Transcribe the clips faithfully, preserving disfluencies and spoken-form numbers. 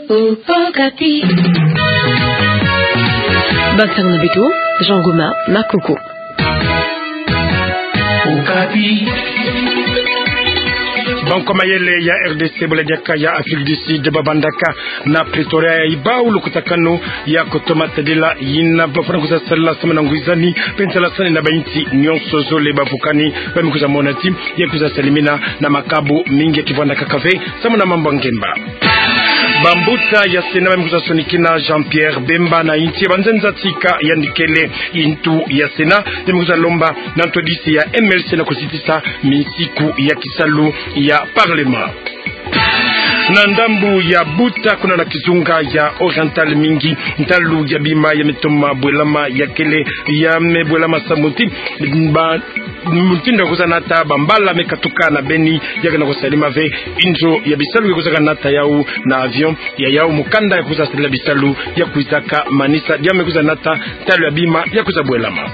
Okapi. Bansango na beto, Jean Goma Makoko. Okapi. Bankwa mayele ya R D C, bwela diaka ya Afrique du Sud, ba bandaka na Pretoria ya ibau lukutakanu ya kutoma tadila yina bafwana kwiza salila samu na ngwizani mpe nsalasani na bayinsi nyonso zole bavukani, ba me kwiza mona ti ya kwiza salimina na makabu mingi ya kivwanda kakave samu na mambu ya ngemba. Bambuta ya Sénat ba me kwiza sonikina Jean-Pierre Bemba na insi ya banzenza tika yandi kele ntu ya Sénat, ya me kwiza lomba na ntwadisi ya M L C na kusitisa minsiku ya kisalu ya Parlement. Na ndambu ya buta kuna na kizunga ya Oriental, mingi ntalu ya bima ya me toma bwelama ya kele, ya me bwelama samu ti ba mutindu ya kwiza nata bambala me katuka na beni, ya kena kusalema ve inzo ya bisalu ya kwiza kanata yau na avion ya yau mukanda ya kwiza sadila bisalu ya kwiza kamanisa, ya me kwiza nata ntalu ya bima ya kwiza bwelama.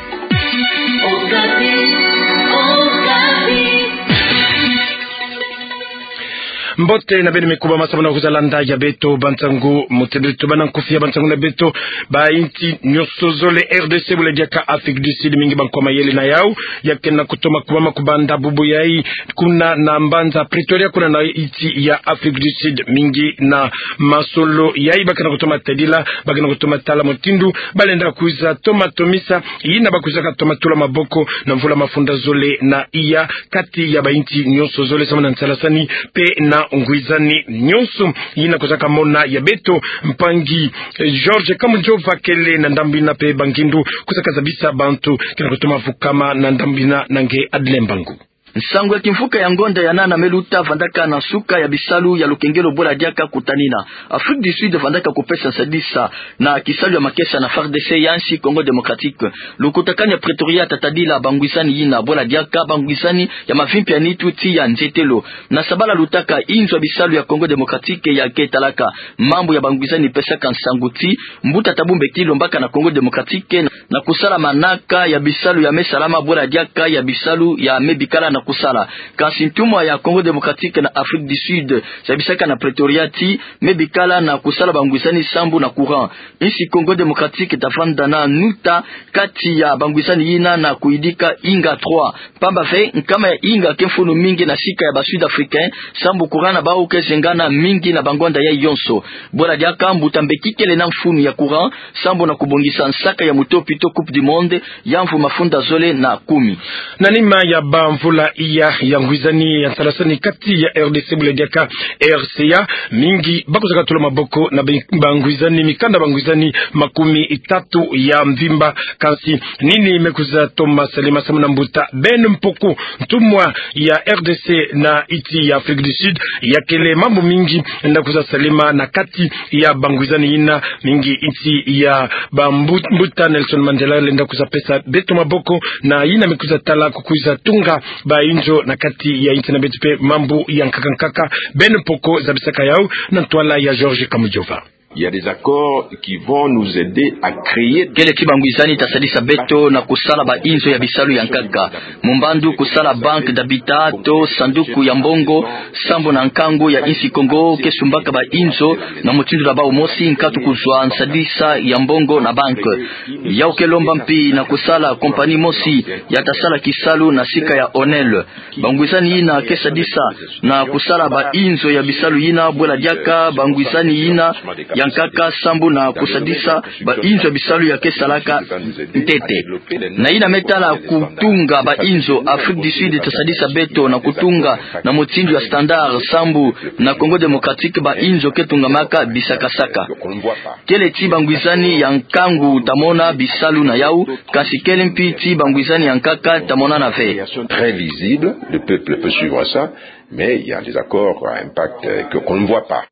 Mbote na beno me kubama samu na kwiza landa ya beto bansango. Mutebele tubana nkufi ya bansango na beto. Bayinsi nyonso zole, R D C bwela diaka Afrique du Sud, mingi bankwa mayele na yau ya kena kutoma kubama kubanda bubu yayi kuna na mbanza Pretoria kuna na insi ya Afrique du Sud, mingi na masolo yayi ba kena kutoma tadila, ba kena kutoma tala mutindu ba lenda kwiza toma tomisa yina ba kwiza katoma tula maboko na mvula mafunda zole na iya kati ya bayinsi nyonso zole samu na nsalasani mpe na ngwizani nyonso. Yina kwiza kamona ya beto mpangi, eh, Georges Kamujova kele na ndambu yina mpe bangindu kwiza kazabisa bantu kena kutoma vukama na ndambu yina na nge Adeline Mbangu. Nsangu ya kimvuka ya ngonda ya nana me luta vandaka na nsuka ya bisalu ya lukengelo bwela diaka kutanina. Afrique du Sud vandaka kupesa nsadisa na kisalu ya makesa na F A R D C ya insi Congo Démocratique. Lukutakanu ya Pretoria ta tadila bangwizani yina bwela diaka bangwizani ya mavimpi ya nitu ti ya nzietelo. Na sabala lutaka, inzo ya bisalu ya Congo Démocratique ya ke talaka mambu ya bangwizani pesaka nsangu ti mbuta Thabo Mbeki lombaka na Congo Démocratique na kusala manaka ya bisalu ya me salama bwela diaka ya bisalu ya me bikala na kusala. Kansi ntumwa ya Congo Démocratique na Afrique du Sud zabisaka na Pretoria ti me bikala na kusala bangwizani sambu na courant. Insi Congo Démocratique ta vanda na nuta kati ya bangwizani yina na kuyidika inga trois. Pamba ve, nkama ya inga ke mfunu mingi na sika ya ba Sud-Africains, sambu courant na bau ke zengana mingi na bangonda yayi yonso. Bwela diaka mbuta Mbeki kele na mfunu ya courant sambu na kubongisa nsaka ya mutopi to Coupe du Monde ya mvu mafunda zole na kumi. Na nima ya bamvula iya ya ngwizani ya nsalasani kati ya R D C bwela diaka R C A, mingi ba kwiza katula maboko na bi-, bangwizani, mikanda bangwizani makumi tatu ya mvimba. Kansi nini me kwiza toma salema samu na mbuta Ben Mpoko, ntumwa ya R D C na insi ya Afrique du Sud, ya kele mambu mingi lenda kwiza salema na kati ya bangwizani yina, mingi insi ya bambu-, mbuta Nelson Mandela lenda kwiza pesa beto maboko na yina me kwiza tala kukwiza tunga bainzo na kati ya insi na beto mpe mambu ya nkaka nkaka. Ben Mpoko zabisaka yau na ntwala ya Georges Kamujova. Il y a des accords qui vont nous aider à créer. Kele ti bangwizani ta sadisa beto na kusala bainzo ya bisalu ya nkaka. Mu mbandu kusala banque d'habitat to sanduku ya mbongo, sambu na nkangu ya insi Congo ke sumbaka bainzo na mutindu na bau mosi, nkatu kuzwa nsadisa ya mbongo na banque. Yau ke lomba mpi na kusala compagnie mosi ya ta sala kisalu na sika ya Onel. Bangwizani yina ke sadisa na kusala bainzo ya bisalu yina bwela diaka bangwizani yina ya nkaka sambu na kusadisa bainzo ya bisalu ya ke salaka ntete. Na yina me tala kutunga bainzo, Afrique du Sud ta sadisa beto na kutunga na mutindu ya standard sambu na Congo Démocratique bainzo ke tungamaka bisakasaka. Kele ti bangwizani ya nkangu ta mona bisalu na yau, kansi kele mpi ti bangwizani ya nkaka ta monana ve. Très visible, le peuple peut suivre ça, mais il y a des accords à impact, euh, que, qu'on ne voit pas.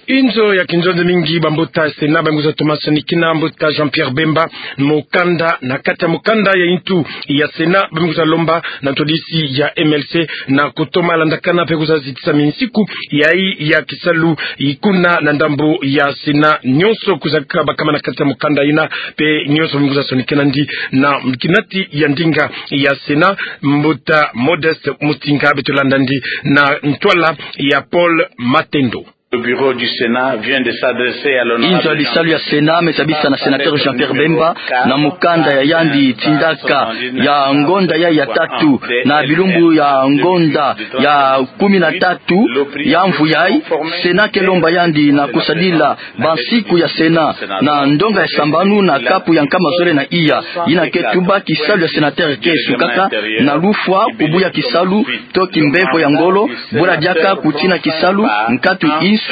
Inzo ya kinzonzi mingi bambuta Sénat bamekusa toma sonikina mbuta Jean-Pierre Bemba mukanda. Na kati ya mukanda ya intu ya Sénat bamekusa lomba na ntwadisi ya M L C na kutoma landakana pe kusa zitisa minsiku yayi ya kisalu ikuna na ndambu ya Sénat. Nyonso kusa kabakama na kati ya mukanda yina pe nyonso bamekusa sonikina ndi na kinati ya ndinga ya Sénat, mbuta Modeste Mutinga beto landa ndi na ntwala ya Paul Matendo. Le bureau du Sénat vient de s'adresser à l'honorable. Inzo ya bisalu ya Sénat me zabisa na sénateur Jean-Pierre Bemba na mukanda ya yandi tindaka ya ngonda ya, ya tatu na bilumbu ya ngonda ya kumi na tatu ya mvu yayi. Sénat ke lomba yandi na kusadila bansiku ya Sénat na ndonga ya sambanu na kapu ya nkama zole na iya. Yina ke tuba kisalu ya sénateur ke sukaka na lufwa, kubuya kisalu to kimbevo ya ngolo, bula diaka kutina kisalu nkatu inswa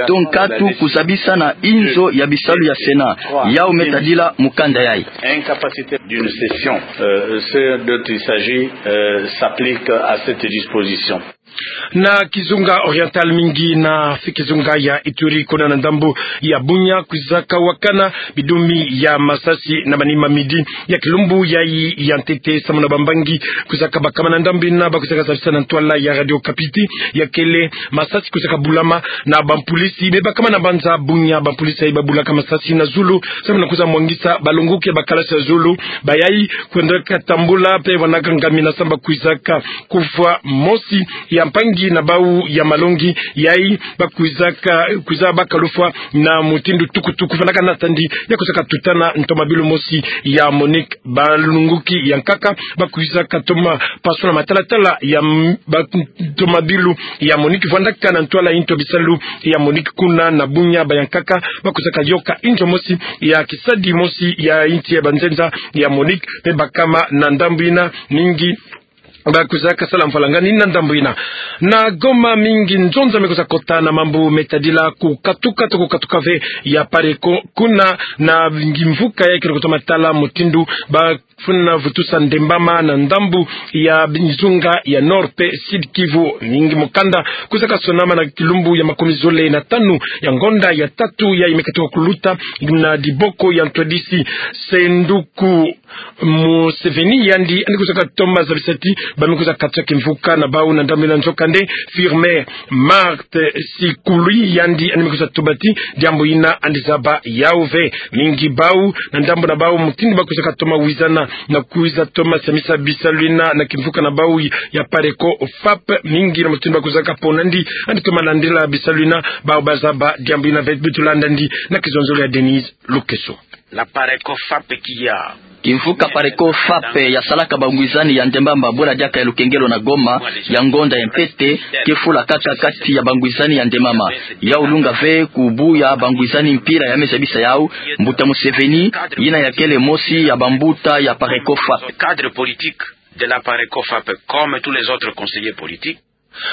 to nkatu kuzabisa na inzo ya bisalu ya Sénat. Yau me tadila mukanda yayi. Incapacité d'une session, euh, ce dont il s'agit, euh, s'applique à cette disposition. Na kizunga Oriental mingi na kizunga ya Ituri, kuna na ndambu ya Bunia, kwiza kawakana bidumi ya masasi na manima midi ya kilumbu yayi ya ntete. Samu na bambangi kwiza kabakama na ndambu yina, bakwiza kazabisa na ntwala ya Radio Okapi ti ya kele masasi kwiza kabulama na bampolisi me bakama na mbanza Bunia. Bampolisi yayi babulaka masasi na zulu samu na kwiza mwangisa balongoki ya bakalasi ya zulu. Bayayi kwendaka tambula pe bwanaka ngamina samu bakwiza ka kufwa mosi ya mpangi na bau ya malongi yayi, bakwiza ka, kwiza baka lufwa na mutindu tukutuku. Fwanaka na tandi ya kwiza katutana ntomabilu mosi ya Monique. Balongoki ya nkaka bakwiza katoma pasula matalatala ya m-, ba-, ntomabilu ya Monique, fwandaka na ntwala intu ya bisalu ya Monique kuna na Bunia. Bayankaka bakwiza kayoka inzo mosi ya kisadi mosi ya inti ya banzenza ya Monique, pe bakama na ndambu yina mingi bakwiza kasala mfwalangani na ndambu yina. Na Goma mingi nzonza me kwiza kota na mambu me tadila kukatuka to kukatuka ve ya Pareko kuna na kimvuka yayi ke na kutoma tala mutindu bafuna vutusa ndembama na ndambu ya bizunga ya Nord pe Sud Kivu. Mingi mukanda kwiza kasonama na kilumbu ya makumi zole na tanu ya ngonda ya tatu yayi me katuka kuluta na diboko ya ntwadisi Senduku Museveni, yandi yandi kwiza katoma zabisa ti ba me kwiza katusa kimvuka na bau na ndambu yina. Nzokande Firmin Marthe Sikuli, yandi yandi me kwiza tuba ti diambu yina yandi zaba yau ve. Mingi bau na ndambu na bau mutindu bakwiza katoma wizana na kwiza toma samisa bisalu yina na kimvuka na bau ya Pareko FAP. Mingi na mutindu bakwiza kapona ndi yandi toma landila bisalu yina, bau bazaba diambu yina ve. Beto landa ndi na kizonzolo ya Denise Lukeso. La Pareko FAP qui a Kimvuka Pareko FAP yasalaka bangwizani ya ndembama bula diaka ya lukengelo na Goma ya ngonda ya mpete, ke fula kaka kati ya bangwizani ya ndembama. Yau lunga ve kubuya bangwizani mpila ya me zabisa yau, mbuta Museveni, yina ya kele mosi ya bambuta ya Pareko FAP. Cadre politique de la Pareko FAP, comme tous les autres conseillers politiques.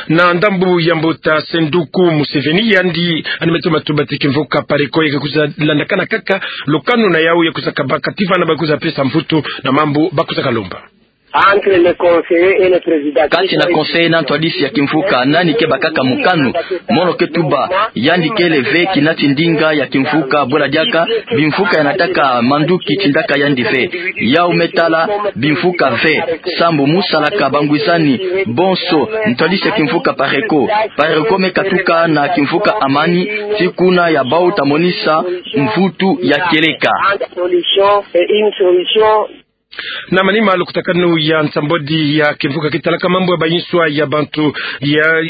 Na ndambu ya mbuta Senduku Museveni, yandi yandi me toma tuba ti kimvuka Pareko ya ke kwiza landakana kaka lukanu na yau ya kwiza kabaka ti vana ba kwiza pesa mvutu na mambu ba kwiza kalomba. Entre le conseiller et le président. Kati na conseiller na ntwadisi ya kimvuka, nani ke bakaka mukanu? Mono ke tuba, yandi kele ve kinati ndinga ya kimvuka bula diaka bimvuka ya nataka manduki tindaka yandi ve. Yau me tala bimvuka ve, sambu mu salaka bangwizani bonso ntwadisi ya kimvuka Pareko. Pareko me katuka na kimvuka amani, ti kuna ya bau ta monisa mvutu ya kieleka. Entre solution et une solution. Na manima lukutakanu ya nsambwadi ya kimvuka ke talaka mambu ya bayinswa ya bantu ya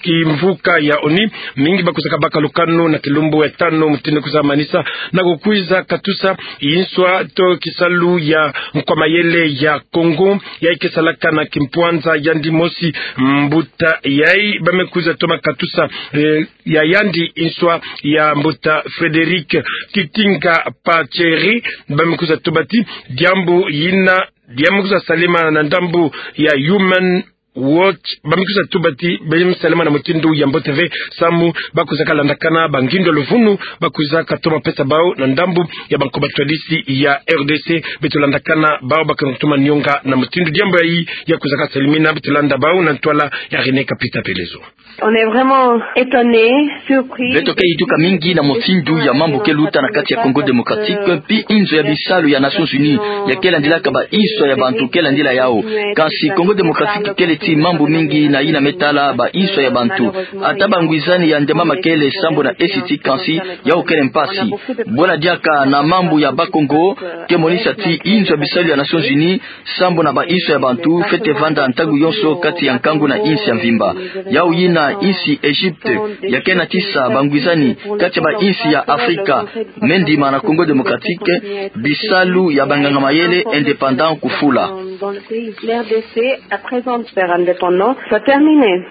kimvuka ya ONU, mingi ba kwiza kabaka lukanu na kilumbu ya tanu mutindu kwiza manisa na kukwiza katusa yinswa to kisalu ya nkwa mayele ya Kongo, yayi ke salaka na kimpwanza yandi mosi. Mbuta yayi ba me kwiza toma katusa, eh, ya yandi yinswa ya mbuta Frédéric Kitinga Pacheri, ba me kwiza tuba ti diambu yina dia me kwiza salema na ndambu ya Human Watch, ba me kwiza tuba ti, be me salama na mutindu ya mbote ve, samu ba kwizaka landakana ba ngindu ya luvunu ba kwizaka toma pesa bau na ndambu ya bankoba ntwadisi ya R D C, beto landakana bau ba kwiza kutuma nionga na mutindu. Diambu yayi ya kwizaka salimina, beto landa bau na ntwala ya René Kapita Pelezo. On est vraiment étonné, surpris. Beto ke yituka mingi na mutindu ya mambu ke luta na kati ya Congo Démocratique, mpi inzo ya bisalu ya Nations Unies ya ke landilaka ba inswa ya bantu ke landila yau. Kansi Congo Démocratique kele ti mambu mingi na yina me tala ba inswa ya bantu. Ata ba ngwizani ya ndemama kele sambu na esiti, kansi yau kele mpasi. Bwena diaka na mambu ya Bakongo ke monisa ti inzo ya bisalu ya Nations Unies sambu na ba inswa ya bantu fwete vanda ntangu yonso kati ya nkangu na insi ya mvimba. Yau yina insi Egypte ya ke natisa ba ngwizani kati ya ba insi ya Afrika, me ndima na Congo Démocratique, bisalu ya banganga mayele indépendant kufula. Dans le pays, l'R D C, à présent, vers indépendance, soit terminée.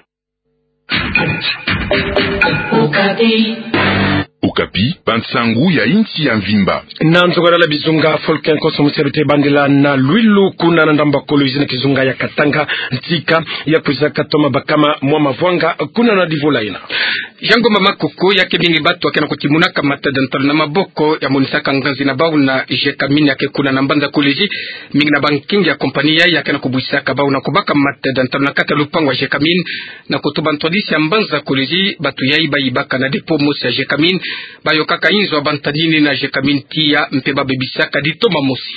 Okapi, bansangu ya insi ya mvimba. Na nzogalala bizunga, Volcan Konso Mosier bete bandila na lwilu kuna na ndambu ya Kolwezi na kizunga ya Katanga, ntika ya kwizaka toma bakama mwa mavwanga kuna na divola yina. Jean Ngoma Makoko, ya ke mingi bantu ya ke na kutimunaka matadi ya ntalu na maboko ya monisaka nganzi na bau na Gécamines ya ke kuna na mbanza Kolwezi. Mingi na bankingi ya compagnie yayi ya ke na kubwisaka bau na kubaka matadi ya ntalu na kati ya lupangu ya Gécamines, na kutuba ntwadisi ya mbanza Kolwezi, bantu yayi ba yibaka na dépôt mosi ya Gécamines, ba yokaka inzo ya bantadini na Gécamines tiya mpe ba bebisaka ditoma mosi.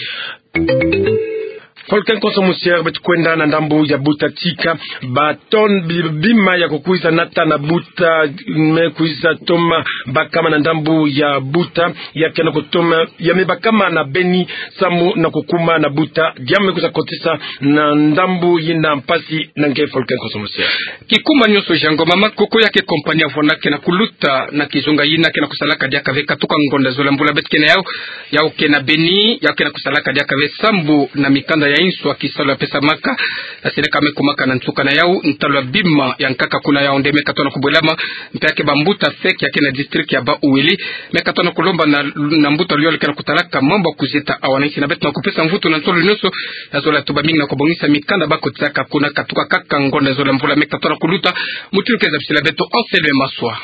Volcan Konso Mosier bete kwenda na ndambu ya Buta, ntika ba tonne bi-, bima ya kukwiza nata na Buta, me kwiza toma bakama na ndambu ya Buta, ya ke na kutoma, ya me bakama na Beni, samu na kukuma na Buta, diame kwiza kotisa na ndambu yina mpasi na nge Volcan Konso Mosier. Kikuma nyonso Jean Ngoma Makoko, ya ke compagnie Avona ke na kuluta na kizunga yina ke na kusalaka diaka ve katuka ngonda zole ya mvula beto ke na yau, yau ke na Beni, yau ke na kusalaka diaka ve sambu na mikanda ya inswa kisalu ya pesamaka, ya seleka me kumaka na nsuka na yau, ntalu ya bima ya nkaka kuna yau nde me katona kubwelama, mpe ya ke bambuta sec ya ke na district ya Bas-Uele, me katona kulomba na, na mbuta luyalu ke na kutalaka mambu ya kuzieta awana insi na beto na kupesa mvutu na nsolo nyonso, ya zola tuba mingi na kubongisa mikanda ba kotisaka kuna katuka kaka ngonda zole ya mvula me katona kuluta, mutindu ke zabisila beto Anselme Maswa.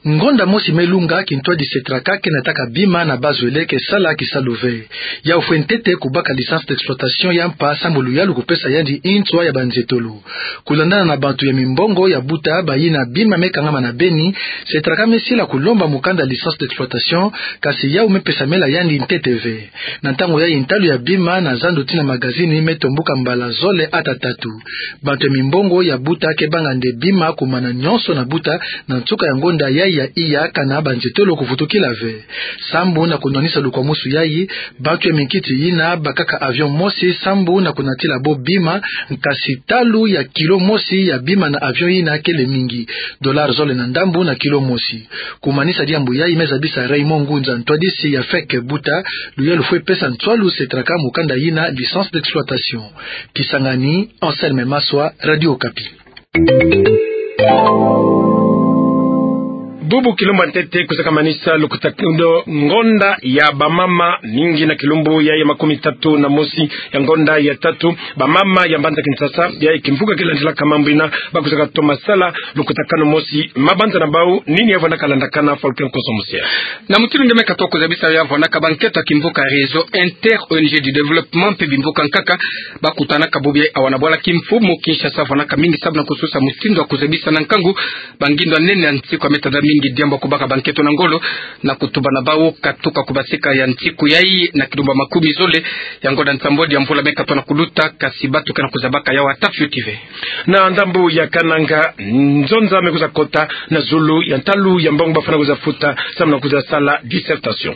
Ngonda mosi me lunga kintwadi Setraka ke nataka bima na Bas-Uele ke sala kisalu ve. Yau fwe ntete kubaka licence d'exploitation ya mpa samu luyalu kupesa yandi inswa ya banzetolo. Kulandana na bantu ya mimbongo ya Buta bayina bima me kangama na Beni, Setraka me sila kulomba mukanda licence d'exploitation, kasi yau me pesamela yandi ntete ve. Na ntangu yayi ntalu ya bima na zandu tii na magazini me tombuka mbala zole ata tatu. Bantu ya mimbongo ya Buta ke banga nde bima kumana nyonso na Buta na nsuka ya ngonda yayi ya iya, kana banzetolo kuvutukila ve. Sambu na kunwanisa lukwamusu yayi, bantu ya minkiti yina bakaka avion mosi sambu na kunatila bo bima, kasi ntalu ya kilo mosi ya bima na avion yina kele mingi, dollar zole na ndambu na kilo mosi. Kumanisa diambu yayi me zabisa Raymond Ngunza, ntwadisi ya fec Buta, luyalu fwe pesa nswalu Setraka mukanda yina licence d'exploitation. Kisangani, Anselme Maswa, Radio Okapi. Bubu kilumbu ya ntete kwiza kamanisa lukutakanu ngonda ya bamama mingi na kilumbu yayi ya makumi tatu na mosi ya ngonda ya tatu, bamama ya mbanza Kinshasa, ya kimvuka ke landilaka mambu yina, ba kwiza katoma sala lukutakanu mosi. Mabanza na bau, nini ya vwanda kalandakana, Volcan Konso Mosier? Na mutindu nge me katona kuzabisa, ya vwandaka bankento ya kimvuka Réseau Inter-O N G du Développement mpe bimvuka nkaka, ba kutanaka bobo awa na bwala kimfumu Kinshasa, vwandaka mingi sabu na kususa mutindu ya kuzabisa na nkangu bangindu ya nene ya nsiku ya me tada mingi, diambu ya kubaka bankento na ngolo, na kutuba na bau katuka kubasika ya nsiku yayi na kilumbu ya makumi zole ya ngonda nsambwadi ya mvula me katona kuluta, kasi bantu ke na kuzabaka yau ata fioti ve. Na ndambu ya Kananga, nzonza me kwiza kota na zulu ya ntalu ya mbongo ba fwana kwiza futa samu na kwiza sala dissertation.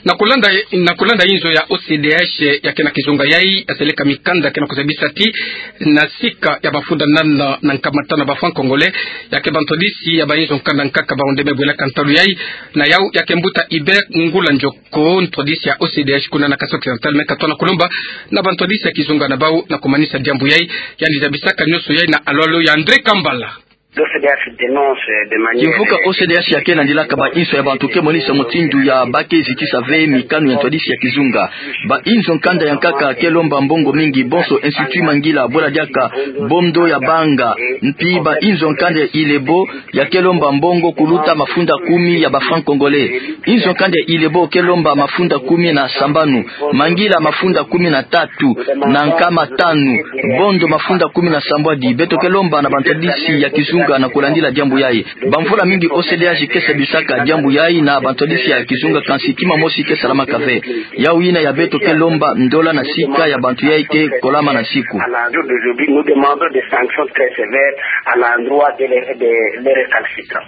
Na kulanda, na kulanda inzo ya O C D H ya ke na kizunga yayi, ya seleka mikanda ke na kuzabisa ti na sika ya mafunda nana na nkama tanu ya ba francs congolais, ya ke bantwadisi ya ba inzo nkanda nkaka bau nde me bwelaka ntalu yayi. Na yau ya ke mbuta Hubert Ngula Njoko, ntwadisi ya O C D H kuna na Kasai Occidental, me katona kulomba na bantwadisi ya kizunga na bau na kumanisa diambu yayi, yandi zabisaka nyonso yayi na alolo ya André Kambala. Kimvuka O C D H ya ke landilaka bainzo ya bantu ke monisa mutindu ya ba ke zitisa ve mikanu ya ntwadisi ya kizunga. Bainzo kanda ya nkaka ke lomba mbongo mingi, bonso Institut Mangila, bwela diaka bondo ya banga. Mpi bainzo kanda ya Ilebo ya ke lomba mbongo kuluta mafunda kumi ya ba francs congolais. Inzo kanda ya Ilebo ke lomba mafunda kumi na sambanu, Mangila mafunda kumi na tatu na nkama tanu, bondo mafunda kumi na sambwadi. Beto ke lomba na bantwadisi ya kizunga na kulandila diambu yai. Bamvula mingi O C D H ke sabisaka diambu yai na bantwadisi ya kizunga, kansi kima mosi ke salamaka ve. Yau yina ya beto ke lomba ndola na sika ya bantu yai ke kolama na nsiku. Nous demandons des sanctions très sévères à l'endroit de les, de, les récalcitrants.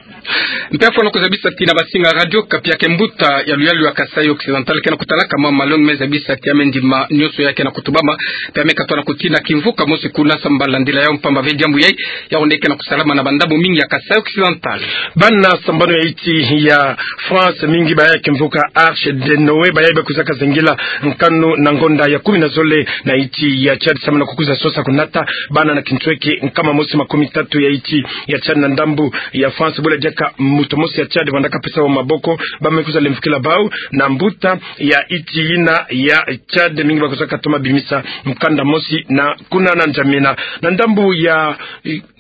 Mpe fwana kuzabisa tina basinga Radio Okapi ya ke mbuta ya luyalu ya Kasaï Occidental ke na kutalaka mama malongi me zabisa ti ame ndima nionso ya ke na kutubama, mpe ame katwa na kutina kimvuka mosi kuna sambala ndila yau mpamba ve diambu yai, yau nde ke na kusalama na bandambu mingi ya Kasaï Occidental. Bana sambanu ya insi ya France mingi baya kimvuka Arche de Noé, baya ba kuzaka zingila nkanu na ngonda ya kumi na zole na insi ya Tchad, samu na kukuza sosa kunata bana na kintweki nkama mosi makumi tatu ya insi ya Tchad na ndambu ya France, bwela diaka moto mosi ya Tchad vandaka pesa wa maboko, ba me kuza lemvukila bau na mbuta ya insi yina ya Tchad, mingi ba kuzaka toma bimisa mkanda mosi na kuna na njamina. Na ndambu ya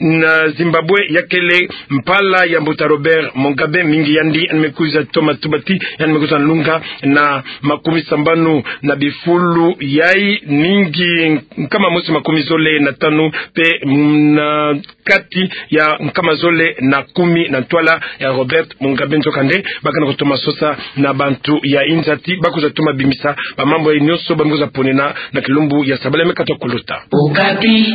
na Zimbabwe, ya kele mpala ya mbuta Robert Mugabe, mingi yandi yandi me kuza toma tuba ti yandi me kuza nlunga na makumi sambanu na bifulu yai, mingi nkama mosi makumi zole na tanu, mpe na kati ya nkama zole na kumi na ntwala ya Robert Mugabe. Nzokande, ba ke na kutoma sosa na bantu ya inza ti ba kwiza toma bimisa bamambu yai nionso ba me kwiza ponena na kilumbu ya sabala me katwa kuluta. Okapi.